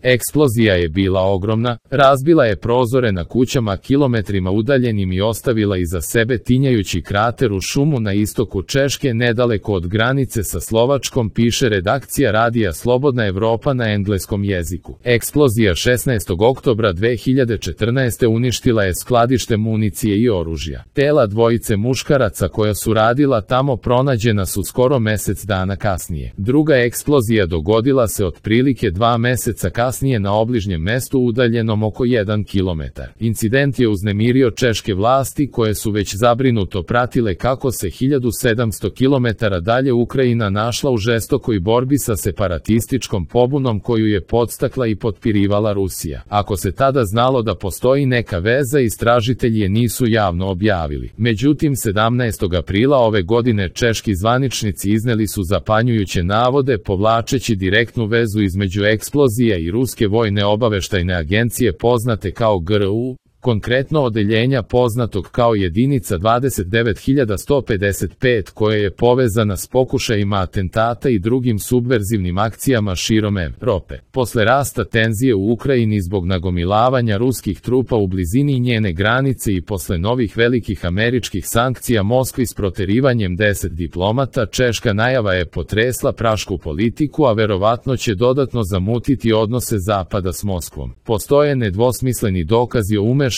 Eksplozija je bila ogromna, razbila je prozore na kućama kilometrima udaljenim i ostavila iza sebe tinjajući krater u šumu na istoku Češke nedaleko od granice sa Slovačkom, piše redakcija radija Slobodna Evropa na engleskom jeziku. Eksplozija 16. oktobra 2014. uništila je skladište municije i oružja. Tela dvojice muškaraca koja su radila tamo pronađena su skoro mesec dana kasnije. Druga eksplozija dogodila se otprilike 2 meseca kasnije na obližnjem mestu udaljenom oko 1 kilometar. Incident je uznemirio češke vlasti koje su već zabrinuto pratile kako se 1700 kilometara dalje Ukrajina našla u žestokoj borbi sa separatističkom pobunom koju je podstakla i potpirivala Rusija. Ako se tada znalo da postoji neka veza, istražitelji je nisu javno objavili. Međutim, 17. aprila ove godine češki zvaničnici izneli su zapanjujuće navode povlačeći direktnu vezu između eksplozija i ruske vojne obaveštajne agencije poznate kao GRU, konkretno odeljenja poznatog kao jedinica 29155 koja je povezana s pokušajima atentata i drugim subverzivnim akcijama širom Evrope. Posle rasta tenzije u Ukrajini zbog nagomilavanja ruskih trupa u blizini njene granice i posle novih velikih američkih sankcija Moskvi s proterivanjem 10 diplomata, češka najava je potresla prašku politiku, a verovatno će dodatno zamutiti odnose Zapada s Moskvom. Postoje nedvosmisleni dokazi o umešanosti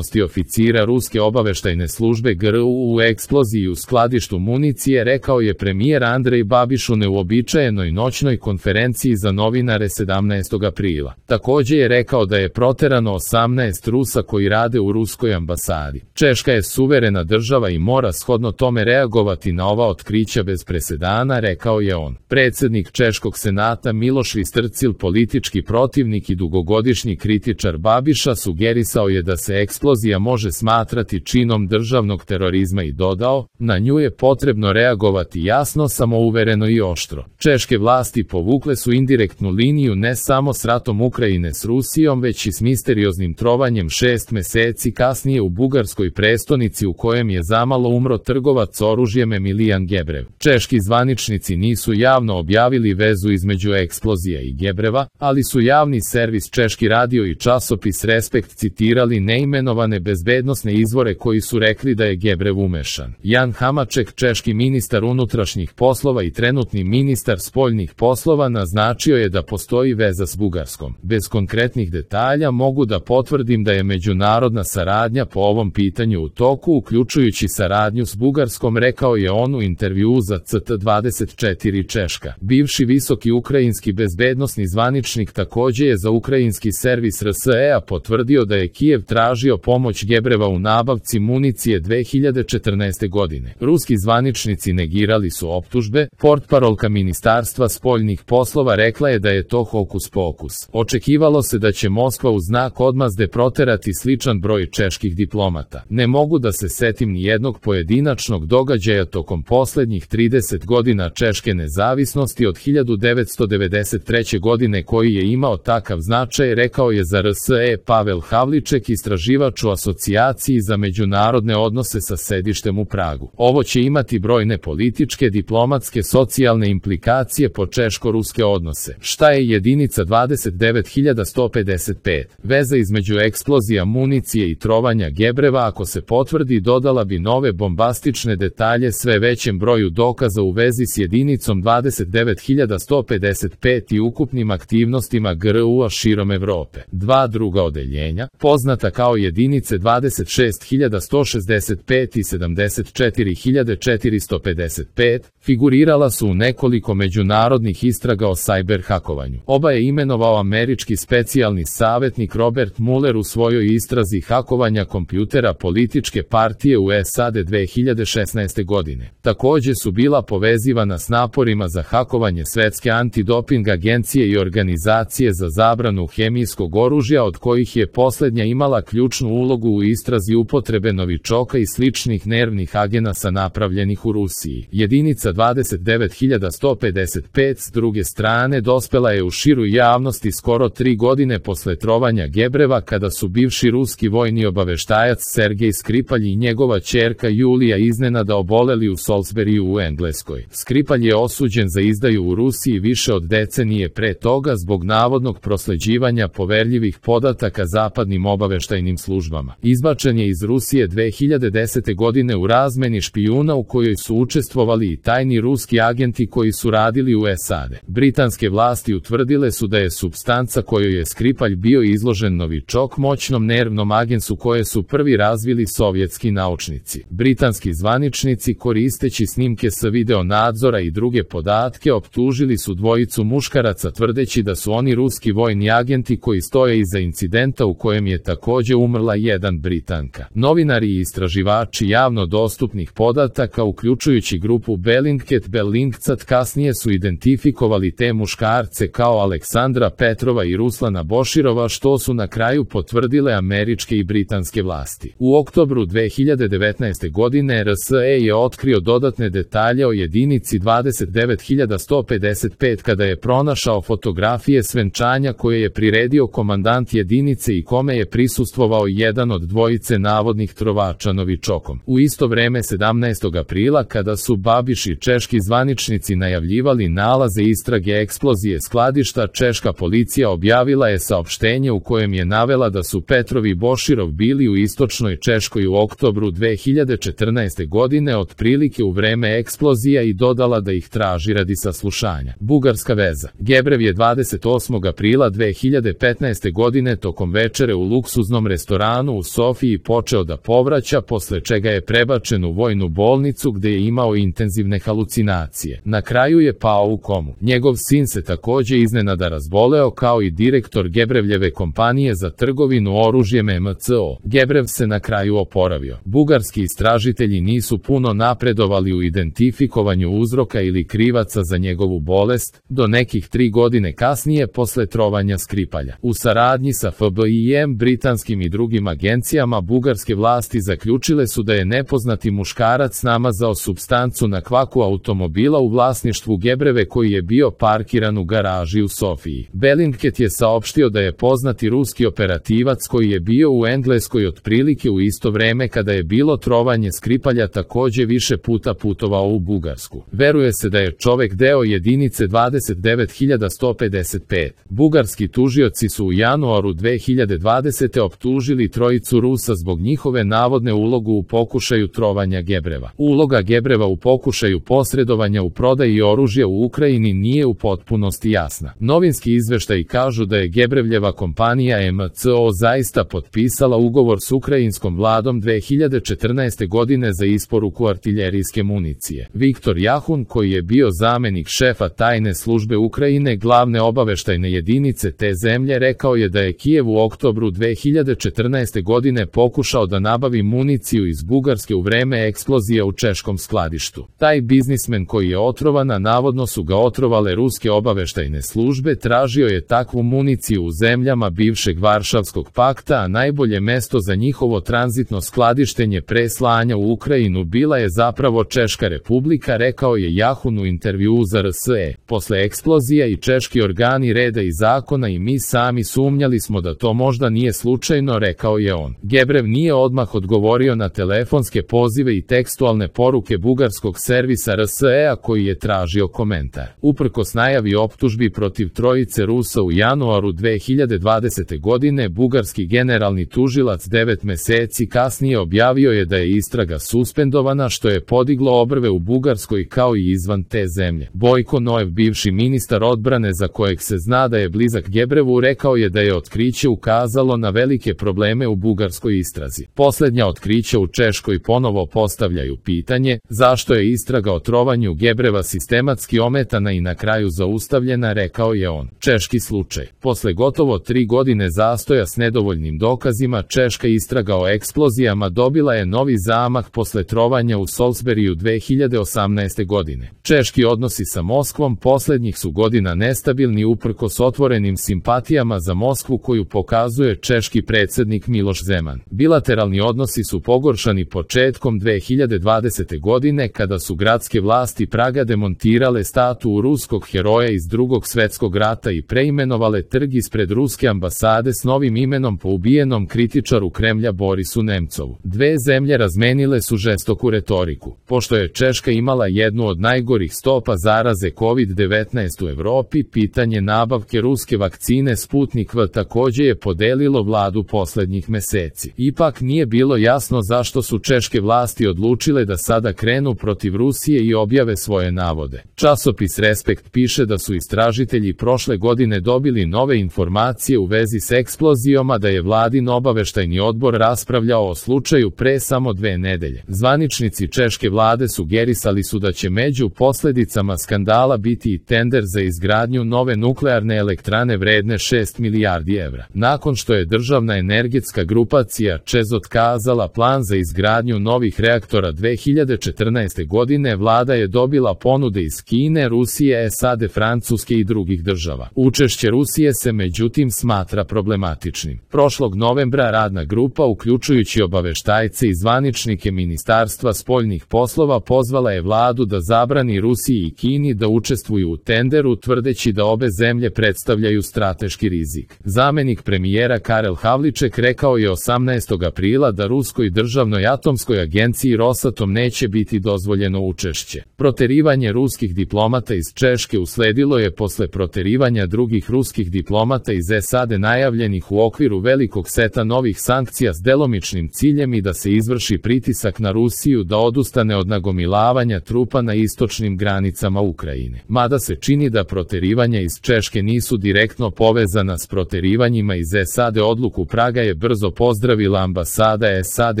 oficira ruske obaveštajne službe GRU u eksploziji u skladištu municije, rekao je premijer Andrej Babiš u neuobičajenoj noćnoj konferenciji za novinare 17. aprila. Takođe je rekao da je proterano 18 Rusa koji rade u ruskoj ambasadi. Češka je suverena država i mora shodno tome reagovati na ova otkrića bez presedana, rekao je on. Predsednik Češkog senata Miloš Vystrčil, politički protivnik i dugogodišnji kritičar Babiša, sugerisao je da se eksplozija može smatrati činom državnog terorizma i dodao, na nju je potrebno reagovati jasno, samouvereno i oštro. Češke vlasti povukle su indirektnu liniju ne samo s ratom Ukrajine s Rusijom, već i s misterioznim trovanjem 6 meseci kasnije u bugarskoj prestonici u kojem je zamalo umro trgovac oružjem Emilijan Gebrev. Češki zvaničnici nisu javno objavili vezu između eksplozija i Gebreva, ali su javni servis Češki radio i časopis Respekt citirali neimenovane bezbednosne izvore koji su rekli da je Gebrev umešan. Jan Hamaček, češki ministar unutrašnjih poslova i trenutni ministar spoljnih poslova, naznačio je da postoji veza s Bugarskom. Bez konkretnih detalja mogu da potvrdim da je međunarodna saradnja po ovom pitanju u toku, uključujući saradnju s Bugarskom, rekao je on u intervjuu za CT24 Češka. Bivši visoki ukrajinski bezbednosni zvaničnik takođe je za ukrajinski servis RSE potvrdio da je Kijev tražio pomoć Gebreva u nabavci municije 2014. godine. Ruski zvaničnici negirali su optužbe, portparolka Ministarstva spoljnih poslova rekla je da je to hokus pokus. Očekivalo se da će Moskva u znak odmazde proterati sličan broj čeških diplomata. Ne mogu da se setim ni jednog pojedinačnog događaja tokom poslednjih 30 godina češke nezavisnosti od 1993. godine koji je imao takav značaj, rekao je za RSE Pavel Havliček, istraživač u asocijaciji za međunarodne odnose sa sedištem u Pragu. Ovo će imati brojne političke, diplomatske, socijalne implikacije po češko-ruske odnose. Šta je jedinica 29155? Veza između eksplozija municije i trovanja Gebreva, ako se potvrdi, dodala bi nove bombastične detalje sve većem broju dokaza u vezi s jedinicom 29155 i ukupnim aktivnostima GRU-a širom Evrope. Dva druga odeljenja, poznata kao jedinice 26165 i 74455, figurirala su u nekoliko međunarodnih istraga o sajber hakovanju. Oba je imenovao američki specijalni savjetnik Robert Mueller u svojoj istrazi hakovanja kompjutera političke partije u SAD 2016. godine. Takođe su bila povezivana s naporima za hakovanje Svetske antidoping agencije i organizacije za zabranu hemijskog oružja, od kojih je poslednja imala ključnu ključnu ulogu u istrazi upotrebe novičoka i sličnih nervnih agenasa napravljenih u Rusiji. Jedinica 29155 s druge strane dospela je u širu javnosti skoro 3 godine posle trovanja Gebreva, kada su bivši ruski vojni obaveštajac Sergej Skripalj i njegova ćerka Julija iznenada oboleli u Salisburyu u Engleskoj. Skripalj je osuđen za izdaju u Rusiji više od decenije pre toga zbog navodnog prosleđivanja poverljivih podataka zapadnim obaveštajnim službama. Izbačen je iz Rusije 2010. godine u razmeni špijuna u kojoj su učestvovali i tajni ruski agenti koji su radili u SAD. Britanske vlasti utvrdile su da je supstanca kojoj je Skripalj bio izložen novičok moćnom nervnom agensu koje su prvi razvili sovjetski naučnici. Britanski zvaničnici, koristeći snimke sa video nadzora i druge podatke, optužili su dvojicu muškaraca tvrdeći da su oni ruski vojni agenti koji stoje iza incidenta u kojem je takođe umrla jedan Britanka. Novinari i istraživači javno dostupnih podataka, uključujući grupu Bellingcat, kasnije su identifikovali te muškarce kao Aleksandra Petrova i Ruslana Boširova, što su na kraju potvrdile američke i britanske vlasti. U oktobru 2019. godine RSE je otkrio dodatne detalje o jedinici 29155 kada je pronašao fotografije svenčanja koje je priredio komandant jedinice i kome je prisustvovao jedan od dvojice navodnih trovača novičokom. U isto vreme 17. aprila, kada su Babiš i češki zvaničnici najavljivali nalaze istrage eksplozije skladišta, češka policija objavila je saopštenje u kojem je navela da su Petrov i Boširov bili u istočnoj Češkoj u oktobru 2014. godine otprilike u vreme eksplozija i dodala da ih traži radi saslušanja. Bugarska veza. Gebrev je 28. aprila 2015. godine tokom večere u luksuznom restoranu u Sofiji počeo da povraća, posle čega je prebačen u vojnu bolnicu gde je imao intenzivne halucinacije. Na kraju je pao u komu. Njegov sin se takođe iznenada razboleo, kao i direktor Gebrevljeve kompanije za trgovinu oružjem MCO. Gebrev se na kraju oporavio. Bugarski istražitelji nisu puno napredovali u identifikovanju uzroka ili krivaca za njegovu bolest, do nekih 3 godine kasnije posle trovanja Skripalja. U saradnji sa FBI-em, britanskim i drugim agencijama, bugarske vlasti zaključile su da je nepoznati muškarac namazao supstancu na kvaku automobila u vlasništvu Gebreve koji je bio parkiran u garaži u Sofiji. Bellingcat je saopštio da je poznati ruski operativac koji je bio u Engleskoj otprilike u isto vreme kada je bilo trovanje Skripalja takođe više puta putovao u Bugarsku. Veruje se da je čovek deo jedinice 29155. Bugarski tužioci su u januaru 2020. optužili trojicu Rusa zbog njihove navodne ulogu u pokušaju trovanja Gebreva. Uloga Gebreva u pokušaju posredovanja u prodaji oružja u Ukrajini nije u potpunosti jasna. Novinski izveštaji kažu da je Gebrevljeva kompanija MCO zaista potpisala ugovor s ukrajinskom vladom 2014. godine za isporuku artiljerijske municije. Viktor Jahun, koji je bio zamenik šefa tajne službe Ukrajine, glavne obaveštajne jedinice te zemlje, rekao je da je Kijev u oktobru 2014. godine pokušao da nabavi municiju iz Bugarske u vreme eksplozije u češkom skladištu. Taj biznismen koji je otrovan, a navodno su ga otrovale ruske obaveštajne službe, tražio je takvu municiju u zemljama bivšeg Varšavskog pakta, a najbolje mesto za njihovo tranzitno skladištenje pre slanja u Ukrajinu bila je zapravo Češka republika, rekao je Jahun u intervjuu za RSE. Posle eksplozija i češki organi reda i zakona i mi sami sumnjali smo da to možda nije slučajno, rekao je on. Gebrev nije odmah odgovorio na telefonske pozive i tekstualne poruke bugarskog servisa RSE-a koji je tražio komentar. Uprkos najavi optužbi protiv trojice Rusa u januaru 2020. godine, bugarski generalni tužilac 9 meseci kasnije objavio je da je istraga suspendovana, što je podiglo obrve u Bugarskoj kao i izvan te zemlje. Bojko Noev, bivši ministar odbrane za kojeg se zna da je blizak Gebrevu, rekao je da je otkriće ukazalo na velike probleme u bugarskoj istrazi. Poslednja otkrića u Češkoj ponovo postavljaju pitanje zašto je istraga o trovanju Gebreva sistematski ometana i na kraju zaustavljena, rekao je on. Češki slučaj. Posle gotovo 3 godine zastoja s nedovoljnim dokazima, češka istraga o eksplozijama dobila je novi zamah posle trovanja u Salisburyu 2018. godine. Češki odnosi sa Moskvom poslednjih su godina nestabilni uprkos otvorenim simpatijama za Moskvu koju pokazuje češki predsjednik predsjednik Miloš Zeman. Bilateralni odnosi su pogoršani početkom 2020. godine kada su gradske vlasti Praga demontirale statu ruskog heroja iz Drugog svjetskog rata i preimenovale trg ispred ruske ambasade s novim imenom po ubijenom kritičaru Kremlja Borisu Nemcovu. Dve zemlje razmenile su žestoku retoriku. Pošto je Češka imala jednu od najgorih stopa zaraze COVID-19 u Evropi, pitanje nabavke ruske vakcine Sputnik V također je podelilo vladu posljednjih meseci. Ipak nije bilo jasno zašto su češke vlasti odlučile da sada krenu protiv Rusije i objave svoje navode. Časopis Respekt piše da su istražitelji prošle godine dobili nove informacije u vezi s eksplozijom, a da je vladin obaveštajni odbor raspravljao o slučaju pre samo 2 nedelje. Zvaničnici češke vlade sugerisali su da će među posljedicama skandala biti i tender za izgradnju nove nuklearne elektrane vredne 6 milijardi evra. Nakon što je državna energetska grupacija ČEZ otkazala plan za izgradnju novih reaktora 2014. godine, vlada je dobila ponude iz Kine, Rusije, SAD, Francuske i drugih država. Učešće Rusije se međutim smatra problematičnim. Prošlog novembra radna grupa, uključujući obaveštajce i zvaničnike Ministarstva spoljnih poslova, pozvala je vladu da zabrani Rusiji i Kini da učestvuju u tenderu, tvrdeći da obe zemlje predstavljaju strateški rizik. Zamenik premijera Karel Havliček rekao je 18. aprila da ruskoj državnoj atomskoj agenciji Rosatom neće biti dozvoljeno učešće. Proterivanje ruskih diplomata iz Češke usledilo je posle proterivanja drugih ruskih diplomata iz SAD najavljenih u okviru velikog seta novih sankcija s delomičnim ciljem i da se izvrši pritisak na Rusiju da odustane od nagomilavanja trupa na istočnim granicama Ukrajine. Mada se čini da proterivanja iz Češke nisu direktno povezana s proterivanjima iz SAD, odluku Praga je brzo pozdravila ambasada SAD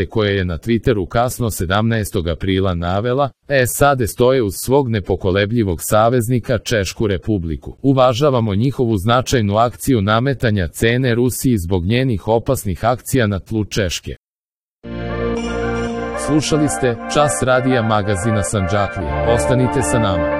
koja je na Twitteru kasno 17. aprila navela: SAD stoje uz svog nepokolebljivog saveznika Češku republiku. Uvažavamo njihovu značajnu akciju nametanja cene Rusiji zbog njenih opasnih akcija na tlu Češke. Slušali ste Čas radija magazina Sandžaklije. Ostanite sa nama.